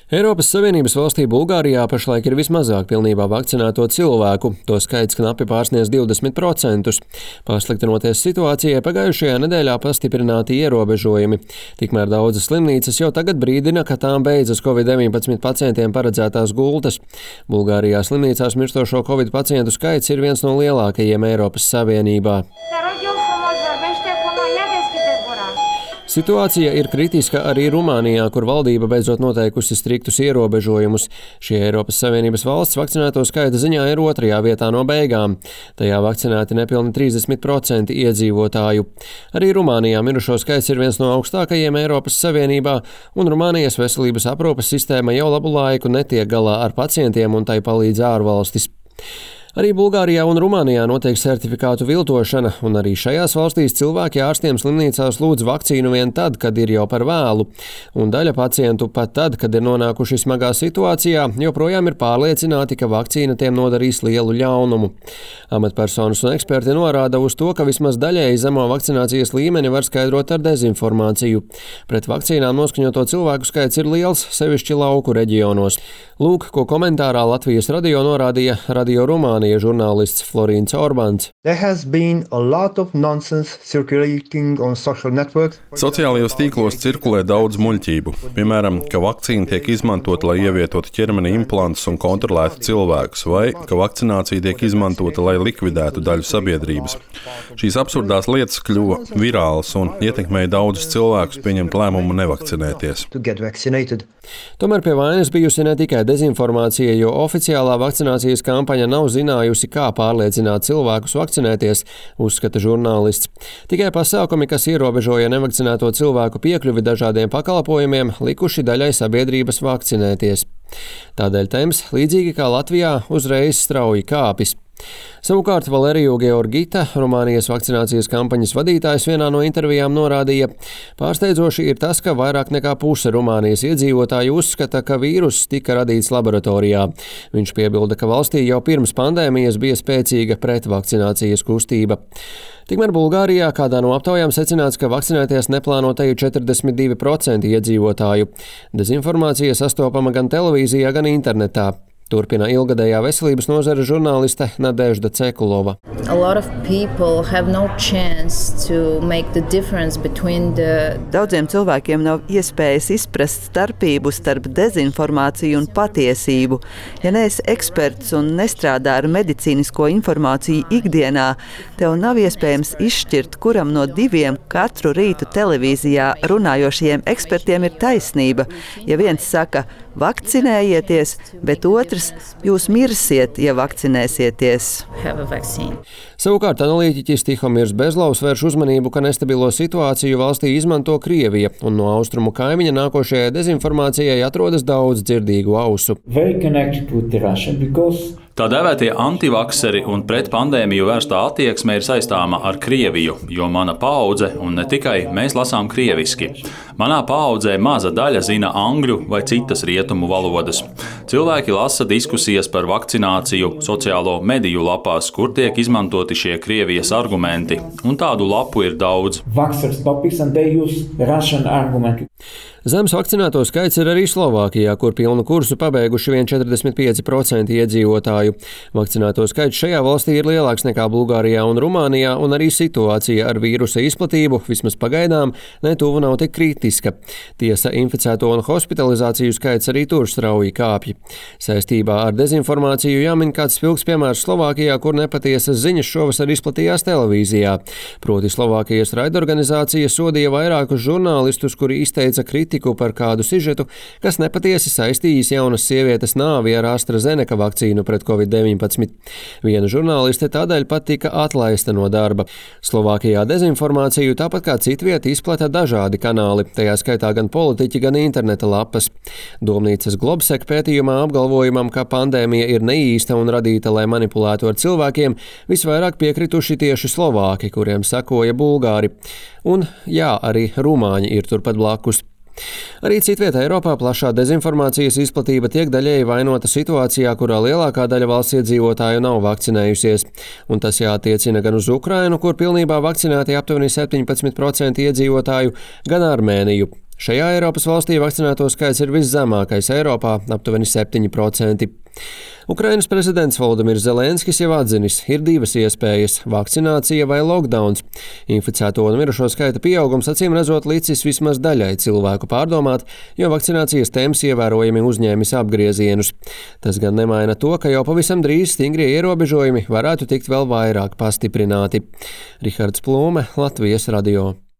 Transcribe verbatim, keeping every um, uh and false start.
Eiropas Savienības valstī Bulgārijā pašlaik ir vismazāk pilnībā vakcinēto cilvēku, to skaits knapi pārsniedz divdesmit procentus. Pasliktinoties situācijai, pagājušajā nedēļā pastiprināti ierobežojumi. Tikmēr daudzas slimnīcas jau tagad brīdina, ka tām beidzas covid deviņpadsmit pacientiem paredzētās gultas. Bulgārijā slimnīcās mirstošo covid pacientu skaits ir viens no lielākajiem Eiropas Savienībā. Situācija ir kritiska arī Rumānijā, kur valdība beidzot noteikusi striktus ierobežojumus. Šie Eiropas Savienības valsts vakcinēto skaita ziņā ir otrajā vietā no beigām. Tajā vakcinēti nepilni trīsdesmit procenti iedzīvotāju. Arī Rumānijā mirušo skaits ir viens no augstākajiem Eiropas Savienībā, un Rumānijas veselības aprūpes sistēma jau labu laiku netiek galā ar pacientiem un tai palīdz ārvalstis. Arī Bulgārijā un Rumānijā notiek sertifikātu viltošana, un arī šajās valstīs cilvēki ārstiem slimnīcās lūdz vakcīnu vien tad, kad ir jau par vēlu. Un daļa pacientu pat tad, kad ir nonākuši smagā situācijā, joprojām ir pārliecināti, ka vakcīna tiem nodarīs lielu ļaunumu. Amatpersonas un eksperti norāda uz to, ka vismaz daļēji zemo vakcinācijas līmeni var skaidrot ar dezinformāciju. Pret vakcīnām noskaņoto cilvēku skaits ir liels, sevišķi lauku reģionos. Lūk, ko komentārā Latvijas radio norādīja Radio Rumānija žurnālists Florīns Orbāns. Sociālajos tīklos cirkulē daudz muļķību. Piemēram, ka vakcīna tiek izmantota, lai ievietotu ķermenī implantus un kontrolētu cilvēkus, vai ka vakcinācija tiek izmantota, lai likvidētu daļu sabiedrības. Šīs absurdās lietas kļuva virālas un ietekmēja daudzus cilvēkus pieņemt lēmumu nevakcinēties. Tomēr pie vainas bijusi ne tikai dezinformācija, jo oficiālā vakcinācijas kampaņa nav zinājusi, kā pārliecināt cilvēkus vakcinēties, uzskata žurnālists. Tikai pasākumi, kas ierobežoja nevakcinēto cilvēku piekļuvi dažādiem pakalpojumiem, likuši daļai sabiedrības vakcinēties. Tādēļ temps, līdzīgi kā Latvijā, uzreiz strauji kāpis. Savukārt Valeriju Georgita, Rumānijas vakcinācijas kampaņas vadītājs, vienā no intervijām norādīja, pārsteidzoši ir tas, ka vairāk nekā puse Rumānijas iedzīvotāju uzskata, ka vīruss tika radīts laboratorijā. Viņš piebilda, ka valstī jau pirms pandēmijas bija spēcīga pretvakcinācijas kustība. Tikmēr Bulgārijā kādā no aptaujām secināts, ka vakcinēties neplāno teju četrdesmit divi procenti iedzīvotāju. Dezinformācija sastopama gan televīzijā, gan internetā. Turpina ilgadējā veselības nozara žurnāliste Nadežda Cekulova. No the... Daudziem cilvēkiem nav iespējas izprast starpību starp dezinformāciju un patiesību. Ja neesi eksperts un nestrādā ar medicīnisko informāciju ikdienā, tev nav iespējams izšķirt, kuram no diviem katru rītu televīzijā runājošajiem ekspertiem ir taisnība. Ja viens saka, vakcinējieties, bet otrs jūs mirsiet, ja vakcinēsieties. Savukārt analītiķis Tihomirs Bezlovs vērš uzmanību, ka nestabilo situāciju valstī izmanto Krievija, un no austrumu kaimiņa nākošajai dezinformācijai atrodas daudz dzirdīgu ausu. Tā dēvētie antivakseri un pret pandēmiju vērstā attieksme ir saistāma ar Krieviju, jo mana paudze, un ne tikai, mēs lasām krieviski. Manā paudzē maza daļa zina angļu vai citas rietumu valodas. Cilvēki lasa diskusijas par vakcināciju sociālo mediju lapās, kur tiek izmantoti šie Krievijas argumenti, un tādu lapu ir daudz. Zems vakcinēto skaits ir arī Slovākijā, kur pilnu kursu pabeiguši vien četrdesmit pieci procenti iedzīvotāju. Vakcinēto skaits šajā valstī ir lielāks nekā Bulgārijā un Rumānijā, un arī situācija ar vīrusa izplatību, vismaz pagaidām, netuvu nav tik kritiska. Tiesa, inficēto un hospitalizāciju skaits arī tur strauji kāpj. Saistībā ar dezinformāciju jāmin kāds spilgs piemērs Slovākijā, kur nepatiesas ziņas šovasar izplatījās televīzijā. Proti Slovākijas raidorganizācija sodīja vairākus žurnālistus, kuri izteica kritiku par kādu sižetu, kas nepatiesi saistījis jaunas sievietes nāvi ar AstraZeneca vakcīnu pret covid deviņpadsmit. Viena žurnāliste tādēļ pat tika atlaista no darba. Slovākijā dezinformāciju tāpat kā citviet izplata dažādi kanāli, tajā skaitā gan politiķi, gan interneta lapas. Domnīcas Globsek pētījumā apgalvojumam, ka pandēmija ir neīsta un radīta, lai manipulētu ar cilvēkiem, visvairāk piekrituši tieši Slovāki, kuriem sakoja Bulgāri. Un, jā, arī rumāņi ir turpat blakus. Arī citvietā Eiropā plašā dezinformācijas izplatība tiek daļēji vainota situācijā, kurā lielākā daļa valsts iedzīvotāju nav vakcinējusies. Un tas jātiecina gan uz Ukrainu, kur pilnībā vakcinēti aptuveni septiņpadsmit procenti iedzīvotāju, gan Armēniju. Šajā Eiropas valstī vakcinēto skaits ir viszemākais Eiropā – aptuveni septiņi procenti. Ukrainas prezidents Volodimirs Zelenskis jau atzinis, ir divas iespējas – vakcinācija vai lockdowns. Inficēto un mirušo skaita pieaugums acīm redzot licis vismaz daļai cilvēku pārdomāt, jo vakcinācijas temps ievērojami uzņēmis apgriezienus. Tas gan nemaina to, ka jau pavisam drīz stingrie ierobežojumi varētu tikt vēl vairāk pastiprināti. Rihards Plūme, Latvijas radio.